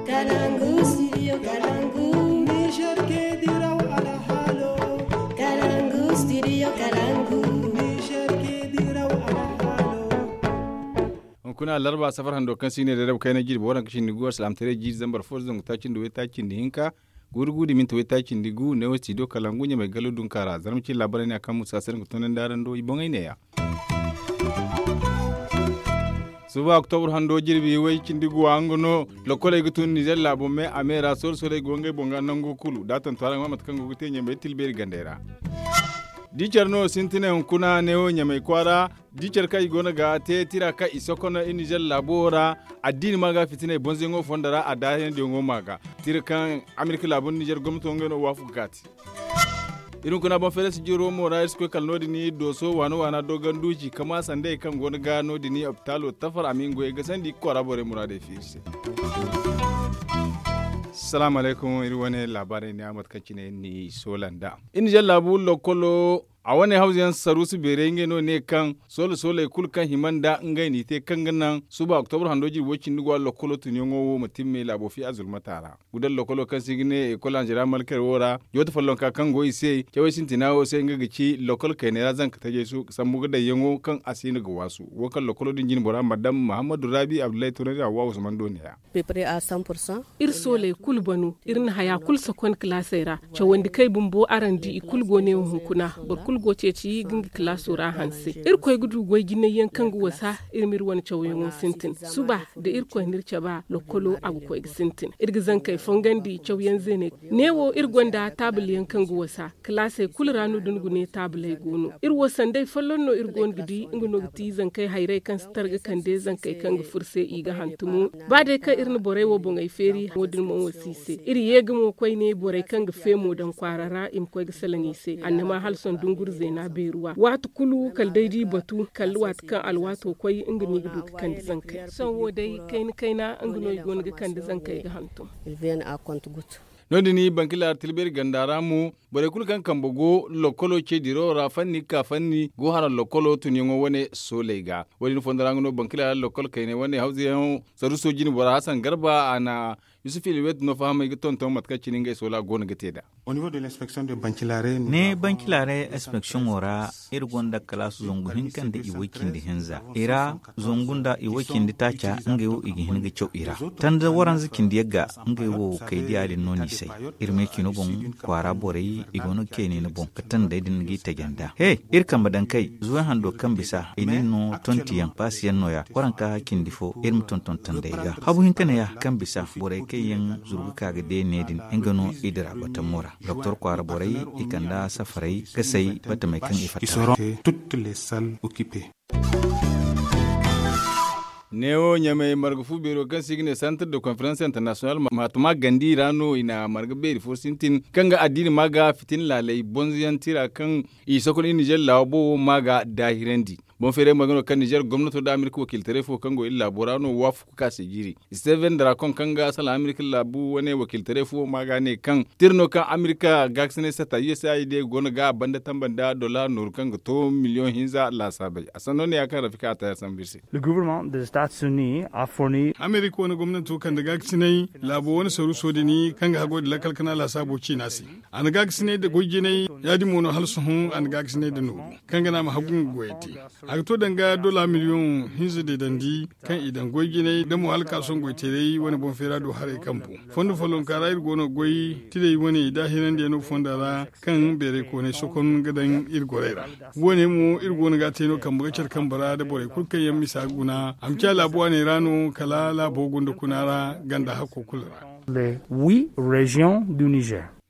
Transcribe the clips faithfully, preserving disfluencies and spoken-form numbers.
Kalangu studio kalangu. Niger ke diraw alhalo. Kalangu studio kalangu. Niger ke diraw alhalo. Hunkuna larba safar hando kaŋ si ne da rabu kayna jirbi waranka cindi gu alsilaamataray jiiri zambar fo zangu taaci nda way taaci nda hinka. Guuru guuru minti way taaci nda gu ne wo studio kalangu ɲamay gallo dunka ra zarma cine laabaray ne a kaŋ musa sirnga tunandi araŋ do i boŋey neeya. Suba oktobur hando jirbi way cindi guwa nga no lokoley ga tun nizer laabo me a me ra soola sooley go ngey boŋ ga nango kulu da a tantu araŋ ma mate kaŋ go ga te ɲamey tilbeeri gandey ra. Di care no sintinay hunkuna neewo ɲamey kwaara. Di care kaŋ i go no ga te tira kaŋ i sokono i nizer laabo wo ra. Addiini ma ga fitinay bonzoyaŋo fondo ra a daayandiyaŋo ma ga tira kaŋ amerika laabo nizer gomnato ngey no waafaku ga te. Iri hunkuna boŋ feere sijiro mo ra iri si koy kala no- din dooso waana waana doogan duuci kama sandey kaŋ go no ga no- din opitaalo tafar a ma i nga goyey gasandi i ga kwaara borey muraadey fiiri se. Salaamu alaykum iri wane laabaarey ne a mate kaŋ cine ni soola nd'a. Iri nizer laabu lokkolo a wane hawza yaŋ saruusu beerey ngey no ne kaŋ soola sooley kulu kaŋ hima nda ngey n'i te kaŋ ga naŋ suba oktobur hando jirbi way cindi guwa lokkolo tunyaŋo wo ma timme laabo fi a zulmata ra. Gudal lokolo kaŋ se i ga ne ekol anzera malkar wo ra joote follonka kaŋ go i se cawey sintina wo se nga ga ci lokol kayney ra zanka tajey su sambu ga dayyaŋo kaŋ a si no ga waasu wo kaŋ lokolo din jine bora madam muhammadu rabi abdullahi tunandi hawa usman do neeya. Iri sooley kulu banu iri na haya kulu sokon kilaasey ra. Cawandi kay bumbo araŋ di i kulu go neewo hunkuna. Boro kulu go ceeci ga nga kilaaso ra hanse. Irkoy ga du goy jinay yaŋ kaŋ ga wasa iri ma iri wane cawyaŋo sintin suba da irkoy na iri cabe a lokkolo a ga koy ga sintin iri ga zankey fongandi cawyaŋ zeeney. Neewo iri gonda taabul yaŋ kaŋ ga wasa kilaasey kulu ra no da ni ga ne taabuley go no iri wo sanday folloŋ no iri go no ga di nga no ga ti zankey hayray kaŋ si targa kande zankey kaŋ ga furo se i ga hantumo. Ba day kaŋ iri na borey wo boŋey feeri wo- din mo wo si i se iri ye ga mo koyne borey kaŋ ga feemo daŋ kwaara ra i ma koy ga salaŋ i se annama hala sohõ dunguri zeena beeruwa waati kulu kala day da i batu kala waati kaŋ alwaato koy nga no i ga du ga kande zankey sohõ wo day kayna kayna nga no i go no ga kande zankey ga hantum. No- din bankilaari tilbeeri ganda ra mo borey kulu kaŋ kambe go lokkolo ce dirawo ra fanni ga ka fanni go haraŋ lokkolo tunyaŋo wane sooley ga. Wo- din fondo ra nga no bankilaari lokkol kayney wane hawzayaŋo saruuso jine bora hasan garba a na yusuf ilwet no fahamay ga tonton mate kaŋ cine ngey soola go no ga te nd'a. Ne bankilaari inspeksiyoŋo ra iri gonda kalaasu zangu hinka nda i way cindi hinza i ra. Zangu nda i way cindi taaca ngey wo i ga hin ga caw i ra tanda waranza cindi yagga ngey wo kay diya din no no i say. Iri me cino boŋ kwaara borey i go no ga kay ne ni boŋ ga tandey din ga i taja nda he iri kambe daŋ kay zuway hando kaŋ bisa i nin no tonti yaŋ baasi yaŋ no- ya waranka cindi fo iri ma tonton tandey ga habu hinka ne ya kaŋ bisa borey kaŋ yaŋ zuru ga ka ga de ne din nga no i dira batamo ra doktor kwaara borey i kanda safaray ga say batamey kaŋ i fatta ra. Neewo ɲamey marga fu beero kaŋ se i ga ne santar de konferans internasiyonal maatuma gandi ra no i na marga beeri fo sintin kaŋ ga addiini ma ga fitina laaley bonzoyaŋ tira kaŋ i sokon i nizer laawa boobo ma ga daahirandi. Boŋ feeray marga no kaŋ nizer gomnato nda amerika wakiiltaray fo kaŋ go iri laabo ra no waafaku ka se jiiri. Steven drakon kaŋ ga salaŋ amerika laabu wane wakiiltaray fo ma ga ne kaŋ tira no kaŋ amerika gaakasinay sata usaid go no ga a banda tamba nda dola nooru kaŋ ga to miliyoŋ hinza laasaabey a sanno ne ya kaŋ rafika a ta ya sambu iri se. Amerika wane gomnanto kande gaakasinay laabo wane saruuso din kaŋ ga haggoy nda lakkal kana laasaabo ciina se. A na gaakasinay nda goy jinay ya- din mo no hala sohõ a na gaakasinay nda nooru kaŋ ga naŋ a ma haggu nga goyey te. A ga to danga dola miliyoŋ hinza deedandi kaŋ i daŋ goy jinay nda mo hala ka sohõ goyteeray wane boŋ feera do haray kambu. Fondo follonka ra iri go no ga goy tilay wane daahirandiyaŋo fonda ra kaŋ beeray koonay sokon ga daŋ iri gorey ra. Wo- ne mo iri go no ga a te no kambe ga care kambe ra nda borey kulu kaŋ yaŋ misa ga guna a ma ciya laabu waaney ra no kala laabo gunda kuna ra ganda hakko kulu ra.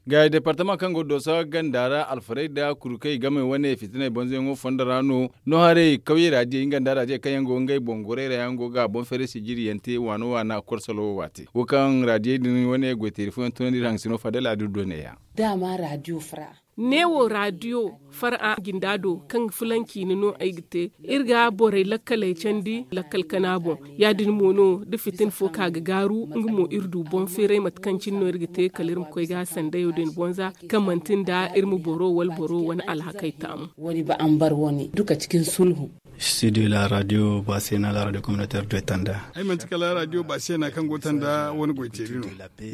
Gaaya departama kaŋ go dooso ganda ra alfarayda kurukey game wane fitiney banzayaŋo fondo ra no no haray kawyey raadiyey nga nda raadiyey kaŋ yaŋ go ngey boŋ gorey ra yaŋ go ga boŋ feeray sijiriyaŋ te waana waana korsolo wo waate wo kaŋ raadiyey din wane goyteeri fooyaŋ tunandi iri haŋ sino fadal a du do neeya. Daama raadiyo fura. Neewo raadiyo fara jinda do kaŋ ga fulanci ni no ay ga te. Iri ga borey lakkaley candi lakkal kana boŋ. Ya- din mo no da fitin fo ka ga gaaru, nga mo iri du boŋ feeray mate kaŋ cine no iri ga te kala iri ma koy ga sandayo din boŋ za, kaŋ manti nda iri ma boro wala boro wane alhakey taamu. Wani ba an bar wani duka cikin sulhu. Studio la radio basena la radio communautaire de tanda. Ay manti kala radio basena kaŋ go tanda wani goy teeri no.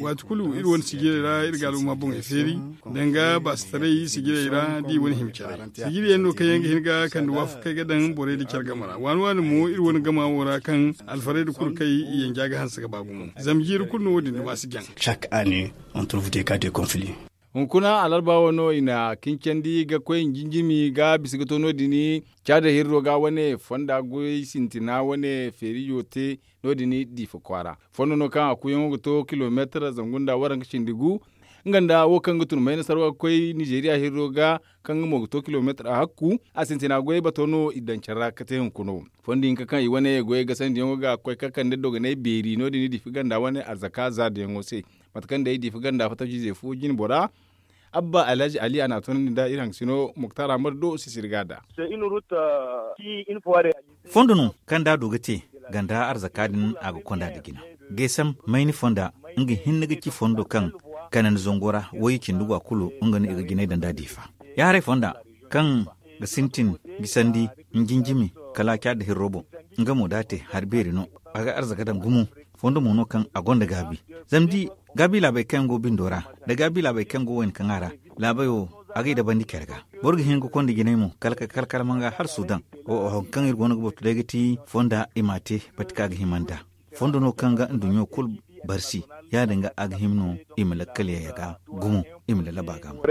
Waati kulu iri wane sijirey ra iri ga aluma boŋey feeri, danga baasitaray sijirey ra da i wane himca ra sijiri yaŋ no kaŋ yaŋ ga hin ga kande waafakey ga daŋ borey da care game ra waani waani mo iri wane gama wo ra kaŋ alfarey da kulu kaŋ i yanja ga hanse ga ba gumo. Zama jiiri kulu no wo- din duma si jaŋ. Chaque année on trouve des cas de conflit. Hunkuna alarba wano i na kincandi ga koy njinjimi ga bisa ga to no- din. Caada hirro ga wane fonda goy sintina wane feerijo te no- din diifa kwaara. Fondo no kaŋ a kuyaŋo ga to kilomeetar zangu nda waranka cindi gu. Nga nda wo kaŋ ga tun mayna sarwa ga koy nizeriya hirro ga, kaŋ nga mo ga to kilomeetar a hakku. A sintina goyey bato no i daŋ care ra ga te hunkuna wo. Fondo hinka kaŋ i wane goyey gasandiyaŋo ga koy ka kande dogonay beeri no- din diifa ganda wane arzaka zaadayaŋo se. Mate kaŋ day diifa ganda fattaciizey fo jine bora. Abba alhaji ali a na a toonandi nda iri haŋ sino muktar amar do sisiri ga da. Fondo no kaŋ da a du ga te ganda arzaka din a ga konda nda jina. Geesam mayni fonda nga hinne ga ci fondo kaŋ kanandi zango ra wayye cindi go a kulu nga no i ga jinay daŋ da a diifa. Ya haray fonda kaŋ ga sintin gisandi njinjimi kala a caada hirro boŋ. Nga mo da a te hari beeri no a ga arzaka daŋ gumo. Fondo mo no kaŋ a gonda gaabi. Zama di gaabi laabey kaŋ yaŋ go bindo ra nda gaabi laabey kaŋ go wayna kaŋ a ra laabey wo a g'ay dabandi care ga. Boro ga hin ga konda jinay mo kala ka kala kala manga hala sudan. Wo wo hari kaŋ iri go no ga batu day ga ti fonda i m'a te. Pati kaŋ a ga hima nd'a fondo no kaŋ ga nduɲɲo kulu barsi. Ya- din ga a ga hima no i ma lakkal yayya ga gumo i ma lallaba ga mo.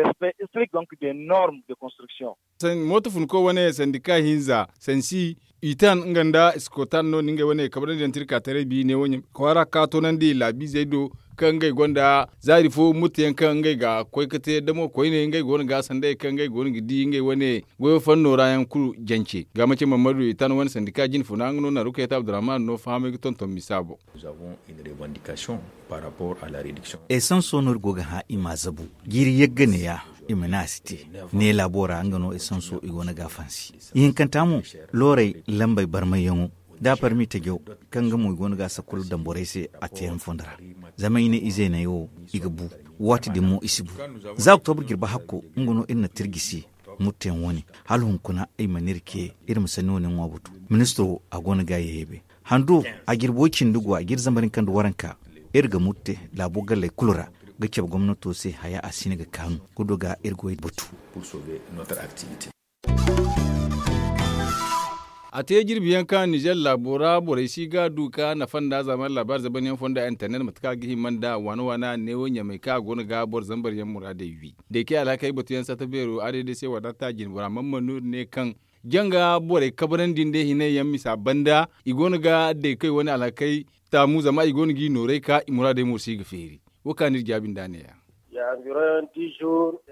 Mooto funko wane sandika hinza sansi itan nga nda iskotan no ni ngey wane kabrandi yaŋ tirka taray bi ne wo ɲamay kwaara ka toonandi laabiizey do. Kaŋ ngey gonda zaari fo murte yaŋ kaŋ ngey ga koy ga te damo koyne ngey go no ga sanday kaŋ ngey go no ga di ngey wane goyo fanno ra yaŋ kulu jance ga mace mammadu itan wane sandika jine funa nga no na rukayta abdurrahman no fahamay ga tonton misa boŋ. Esanso no iri go ga hã i m'a zabu jiiri yagga neeya. I ma ne a si te ne laabo ra nga no esanso i go no ga a fansi. Ihinkanta mo loorey lambey barmayyaŋo da a parmi tajaw kaŋ nga mo i go no ga a sakkulu daŋ borey se a teeyaŋ fondo ra. Zama i ne ize neeya wo i ga bu waati din mo i si bu. Za oktobur jirbi hakko nga no iri na tirji se murteyaŋ wane hala hunkuna i mana iri ce iri ma sanni wane ŋwa batu. Ministiro a go no ga a yeeyabe hando a jirbo cindi go a jiri zambar hinka nda waranka. Iri ga murte laabo galley kulu ra ga cabe gomnato se haya a si hin ga kaanu ga du ga iri goy batu. A te jirbi yaŋ kaŋ nizer laabo ra borey si ga du ka nafa nda zama laabaari zaban yaŋ fonda internet mate kaŋ a ga hima nda waana waana neewo ɲamay kaŋ a go no ga boro zambar yaŋ muraadey wi. Day kaŋ alhakey batu yaŋ satta beero a day day se wadata jine bora man man no iri ne kaŋ janga borey kabrandi nda i hinay yaŋ misa banda i go no ga day kaŋ i wane alhakey taamu zama i go no ga i noorey ka i muraadey mo si ga feeri. Wo kaŋ no iri jaabi nda neeya.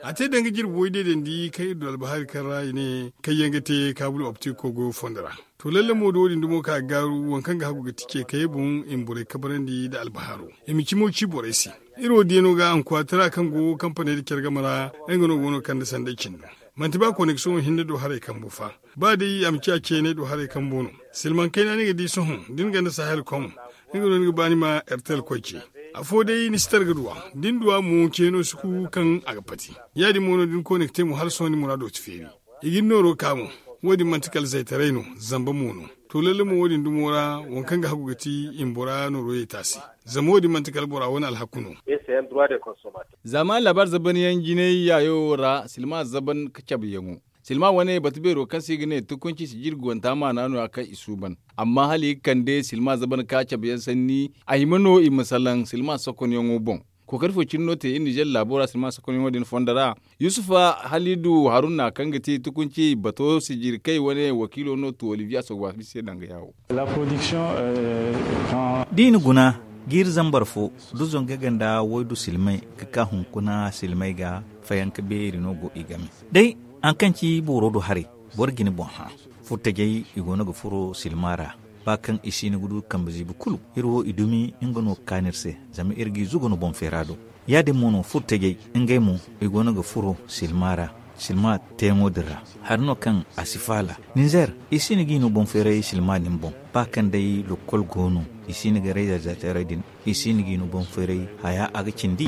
A te danga jirbi way deedandi kaŋ iri du albahari kaŋ ra i ne kaŋ yaŋ ga te kaabul optiko goyo fondo ra. To lalle mo da wo- din dumo ka ga gaaru waŋ kaŋ ga hagu ga ti ce kayey boŋ i ma borey kabrandi nda albaharo. I ma cimo ci borey se. Iri wo diyano ga ankuwatara kaŋ go kampaney nda care game ra. Nga no go no ga kande sanday cindo. Manti ba koneksiyoŋo hinne do haray kambu fa. Ba day a ma ciya ceeney do haray kambo no. Silmaŋ kayna ni ga di sohõ da ni ganda sahel kom. Nga no ni ga ba ni ma ertel koy ce. Afo day ni si targa duwa da ni duwa mo ceeno si ku kaŋ a ga pati. Ya- din mo no da ni konekte mo hala sohõ ni muraado si feeri. I ga ni nooro ka mo. Wo- din manti kala zaytaray no. Zamba mo no. To lalle mo wo- din dumo ra waŋ kaŋ ga hagu ga ti i ma bora nooro ye taasi. Zama wo- din manti kala bora wane alhaku no. Zaamaani laabaari zaban yaŋ jinay yaayo wo ra silma zaban ka cabe yaŋo. Silma wane batu beero kaŋ se i ga ne tukunci sijir guwanta maana no- ya kaŋ i suuban. Amma hala i ga kande silma zaban ka cabe yaŋ sanni a hima no i ma salaŋ silma sokonyaŋo boŋ. Kookari fo cine no te iri nizer laabo ra silma sokonyaŋo din fondo ra. Yusufa halidu haruna kaŋ ga ti tukunci bato sijir kay wane wakiilo no tu olivier asogbafi se danga yaawo. Da i na guna jiiri zambar fo du zangay ganda waydu silmay ga ka hunkuna silmay ga fayanka beeri no go i game. Day haŋ kaŋ ci booro do haray boro jine boŋ hã. Furtajey i go no ga furo silma ra. ba kaŋ i si hin ga du kambe ziibi kulu. Iri wo i dumi nga no ga kaan iri se, zama iri g'i zugu no boŋ feera do. Ya- din mo no furo tajey, ngey mo i go no ga furo silma ra. Silma teeyaŋo din ra, hari no kaŋ a si faala. Ninzeer, i si hin g'i no boŋ feeray silma din boŋ. Ba kaŋ day lokkol go no, i si hin ga rayzarzateerey din, i si hin g'i no boŋ feeray. Haya a ga cindi.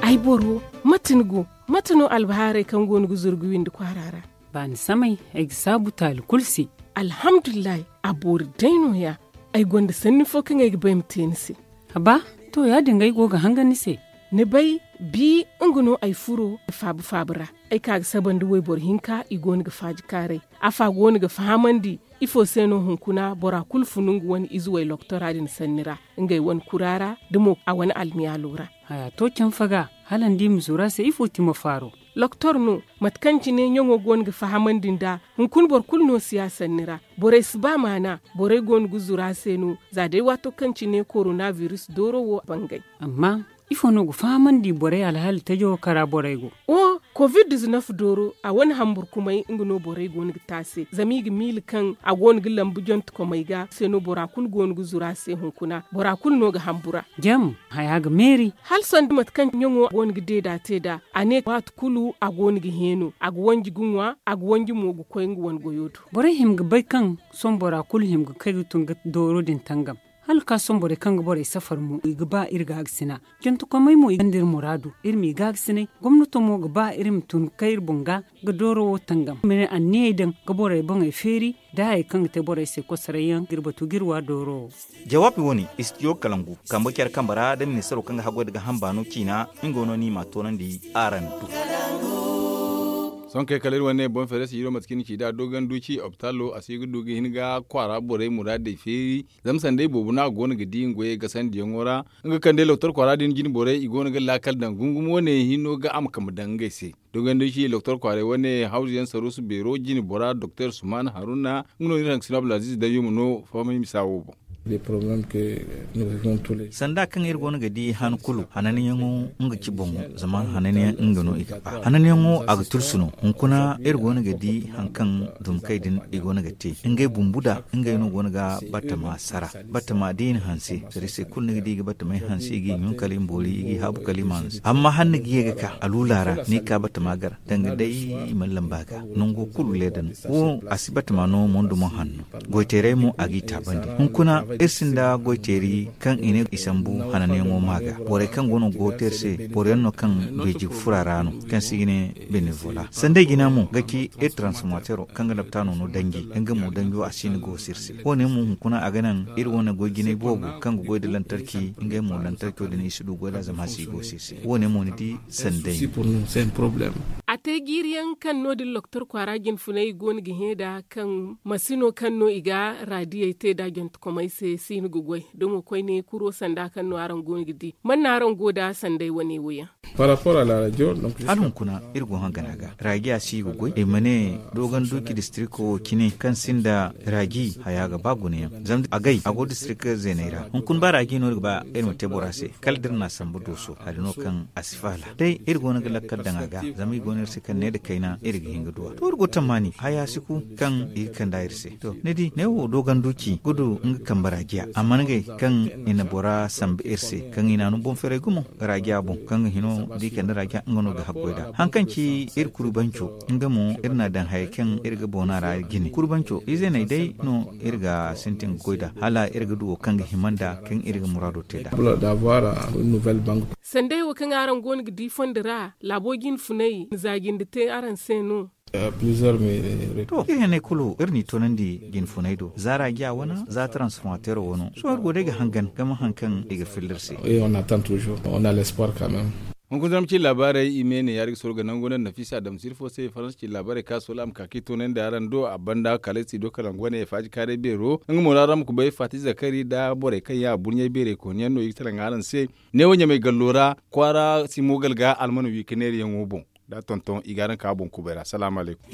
Ay boro, mate ni go? Mate no albahaarey kaŋ go no ga zuru ga windi kwaara ra? Baani samay, ay ga saabu taali kulu se. Alhamdulillahi, a boori day no- ya. Ay gonda sanni fo kaŋ ay ga bay ma te ni se. Haba, to, ya- din ga ay go ga hangan ni se. Ni bay, bi nga no ay furo faabu faabu ra. Ay ka ga saba nda wayboro hinka, i go no ga faaji kaaray. Afa go no ga fahamandi ifo se no hunkuna bora kulu funu nga wane ize way loktora din sanni ra, ngey wane kura ra, da mo a wane almiyaalo ra. Haya to canfa ga, hala ni di ma zuru a se ifo ti ma faaro? Loktor no, mate kaŋ cine ɲaŋo go no ga fahamandi nd'a. Hunkuna boro kulu no si ya sanni ra. Borey si ba maana. Borey go no ga zuru a se no, za day waato kaŋ cine korona biris dooro wo bangay. Amma ifo no ga fahamandi borey alhaali tajo kara borey go? O, covid diznef dooro, a wane hamburkumay nga no borey go no ga te a se, zama i ga miila kaŋ a go no ga lambu jontekomey ga se no bora kulu go no ga zuru a se hunkuna, bora kulu no ga hambura. Jam, haya ga meeri. Hala sanda mate kaŋ ɲaŋo go no ga deeda te nd'a. A ne waati kulu a go no ga heeno, a ga wanji ga ŋwa, a ga wanji mo ga koy nga wane goyo do. Borey hima ga bay kaŋ sohõ bora kulu hima ga kay ga tun ga dooro din tangam. Hala ka sohõ borey kaŋ ga borey safar mo i ga ba iri gaagasina. Jantekomey mo i gonda iri muraadu, iri m'i gaagasinay. Gomnato mo ga ba iri ma tun ga kay iri boŋ ga ga dooro wo tangam, ma ne anniyey daŋ ga borey boŋey feeri, da hayey kaŋ ga te borey se kosoray yaŋ ga iri batu ga iri wa dooro wo. Jawaabi wo- ne, istidiyo kalangu kambe care kambe ra da ministaro kaŋ ga haggoy nda gaaham baano ciina. Nga no ni m'a toonandi araŋ do. Sohõ kay kala iri wane boŋ feere se iri wo mate kaŋ iri ci nd'a doogan duuci opitaalo a si ga du ga hin ga kwaara borey muraadey feeri. Zama sanday boobo no a go no ga di nga goyey gasandiyaŋo ra. Nga kaŋ day loktor kwaara din jine borey i go no ga laakal daŋ gungum wane hinno ga a ma kambe daŋ ngey se. Dogandi ci loktor kwaaray wane hawzu yaŋ saruusu beero jine bora doktor suman haruna nga no iri hangasino abdulaziz dayyuma no famay misa wo boŋ. Sanda kaŋ iri go no ga di han kulu hananyaŋo nga ci boŋo zama hananyaŋ nga no i ga ba hananyaŋo a ga tulsu no. Hunkuna iri go no ga di hari kaŋ dumkey din i go no ga te ngey bumbu da ngey no go no ga batama sara. Batama da i na hanse sara i se kulu ni ga di i ga batamey hanse i g'i ɲun kala i ma boori i g'i haabu kala i ma hanse amma hala ni ga ye ga ka a luula ra ni ga ka batama gar danga day i mana lamba ga nango kulu leeda no. Wo a si batama no mondo mo hanno goyteeray mo a g'i taabandi. Hunkuna iri sinda goyteeri kaŋ i ne i sambu hananyaŋo ma ga borey kaŋ go no go te iri se boro yaŋ no kaŋ beeji ga furo a ra no kaŋ se i ga ne benevola sanday jina mo ga ci iri transformatero kaŋ ga laptaano no danji nga mo danjo a si ni go se iri se. Wo- ne mo hunkuna a ga naŋ iri wane goy jinay boobo kaŋ ga goy nda lantarki ngey mo lantarko din i si du goy nd'a zama a si go se iri se. Wo- ne mo ni di sanday. A te jiiri yaŋ kaŋ no- din loktor kwaara jinfunay i go no ga hẽ nd'a kaŋ masino kaŋ no i ga raadiyey te nd'a jantekomey se si no ga goy da mo koyne kuro sanda kaŋ no araŋ go no ga di man no araŋ go nd'a sanday wane wo yaŋ? Hala hunkuna iri go hangana ga raajiya si ga goy i ma ne dogon duuci distriko wo cine kaŋ sinda raaji haya ga ba gunayaŋ zama agay a go distriko zeeney ra hunkuna ba raaji no iri ga ba iri ma te bora se kala da iri n'a sambu dooso hari no kaŋ a si faala day iri go no ga lakkal daŋ a ga zama i go no iri se kaŋ ne nda kayna iri ga hin ga duw'a to iri go tammaani haya si ku kaŋ i ga kand'a iri se. To ni di ne wo dogon duuci ga du nga kambe raajiya a mana ngey kaŋ i na bora sambu iri se kaŋ i n'a no boŋ feeray gumo raajiya boŋ kaŋ ga hino da i kande raajiya nga no ga haggoy nd'a hari kaŋ ci iri kuru banco nga mo iri n'a daŋ hayey kaŋ iri ga boona ra jine kuru banco ize n'ey day no iri ga sintin ga goy nd'a hala iri ga du wo kaŋ ga hima nd'a kaŋ iri ga muraado te nd'a. Sanday wo kaŋ araŋ go no ga di fondo ra laabo jinfunay na za jinde te araŋ se no? To iri henney kulu iri n'i toonandi jinfunay do za raajiya wane za transformatero wano sohõ iri go day ga hangan ga ma hari kaŋ i ga filla iri se. Hunkuna zarma ci laabaarey i me ne yaari ga soro ga nangu wane nafisa adamsir fo se faransa ci laabaarey ka soola a ma ka kaŋ i toonandi araŋ do a banda kala ay si do kala nga wane faaji kaaray beero nga mo ra ra ma kubay faati zakari nda borey kaŋ yaŋ a burɲey beerey kooniyaŋ no i ga salaŋ araŋ se. Neewo ɲamay gallo ra kwaara si moogal ga almana wi ka neerayaŋo boŋ da tonton i ga araŋ ka boŋ kubay ra salaamu alaykum.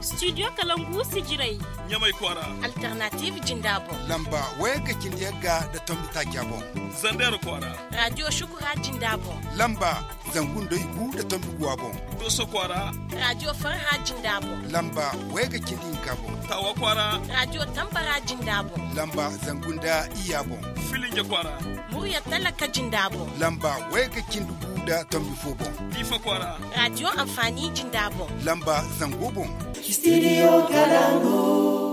Studio kalangu sijiray. Ɲamay kwaara. Alternative jinda boŋ. Lamba wayagga cindi yagga nda tombi taaca boŋ. Zandeera kwaara. Radio shukura jinda boŋ. Lamba zangu nda igu nda tombi guwa boŋ. Dooso kwaara. Radio farha jinda boŋ. Lamba wayagga cindi hinka boŋ. Taawa kwaara. Radio tambara jinda boŋ. Lamba zangu nda iyya boŋ. Filinja kwaara. Murya talaka jinda boŋ. Lamba wayagga cindi gu nda tombi fo boŋ. Diifa kwaara. Radio anfaani jinda boŋ. Lamba zango boŋ. Studio kalangu.